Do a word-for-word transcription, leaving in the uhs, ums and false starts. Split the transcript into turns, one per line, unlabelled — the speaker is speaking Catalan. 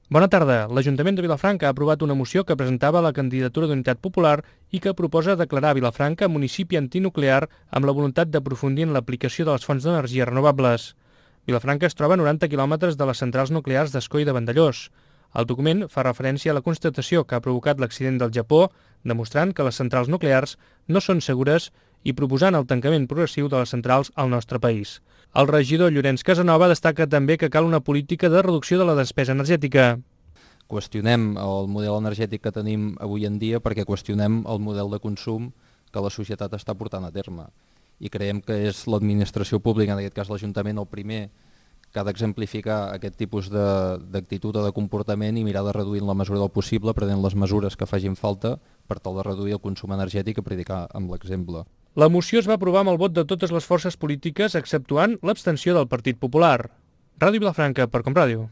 Bona tarda. L'Ajuntament de Vilafranca ha aprovat una moció que presentava la candidatura d'Unitat Popular i que proposa declarar Vilafranca municipi antinuclear amb la voluntat d'aprofundir en l'aplicació de les fonts d'energia renovables. Vilafranca es troba a noranta quilòmetres de les centrals nuclears d'Ascó i de Vandellós. El document fa referència a la constatació que ha provocat l'accident del Japó, demostrant que les centrals nuclears no són segures i proposant el tancament progressiu de les centrals al nostre país. El regidor Llorenç Casanova destaca també que cal una política de reducció de la despesa energètica.
Qüestionem el model energètic que tenim avui en dia perquè qüestionem el model de consum que la societat està portant a terme. I creiem que és l'administració pública, en aquest cas l'Ajuntament, el primer que ha d'exemplificar aquest tipus d'actitud o de comportament i mirar de reduir en la mesura del possible, prenent les mesures que facin falta per tal de reduir el consum energètic i predicar amb l'exemple.
La moció es va aprovar amb el vot de totes les forces polítiques, exceptuant l'abstenció del Partit Popular. Ràdio Vilafranca, per Com Ràdio.